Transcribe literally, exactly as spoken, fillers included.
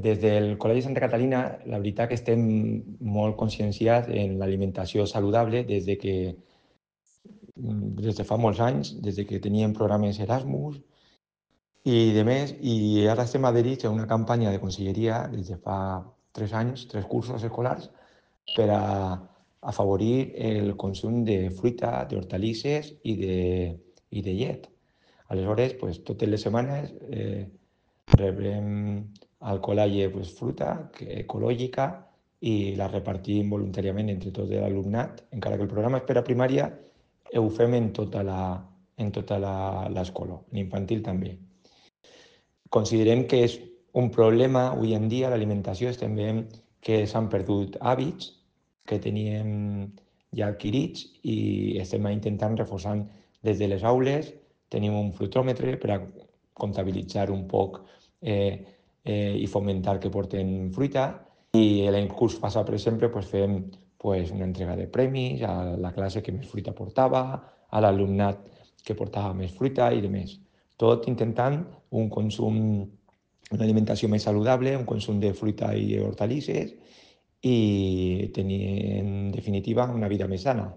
Des del Col·legi Santa Catalina, la veritat que estem molt conscienciats en l'alimentació saludable des de que des de fa molts anys, des de que teníem programes Erasmus i de més, i ara estem adherits a una campanya de conselleria des de fa tres anys, tres cursos escolars, per a afavorir el consum de fruita, d'hortalisses i de, i de llet. Aleshores, pues, totes les setmanes eh, rebrem al col·legi pues, fruita que, ecològica i la repartim voluntàriament entre tot l'alumnat, encara que el programa és per a primària, ho fem en tota la, en tota l'escola, en infantil també. Considerem que és un problema avui en dia l'alimentació, estem veient que s'han perdut hàbits que teníem ja adquirits i estem intentant reforçar des de les aules. Tenim un fruitòmetre per a comptabilitzar un poc eh, eh, i fomentar que porten fruita. I l'any curs passat, per exemple, pues, fem pues, una entrega de premis a la classe que més fruita portava, a l'alumnat que portava més fruita i de més. Tot intentant un consum, una alimentació més saludable, un consum de fruita i hortalisses i tenir, en definitiva, una vida més sana.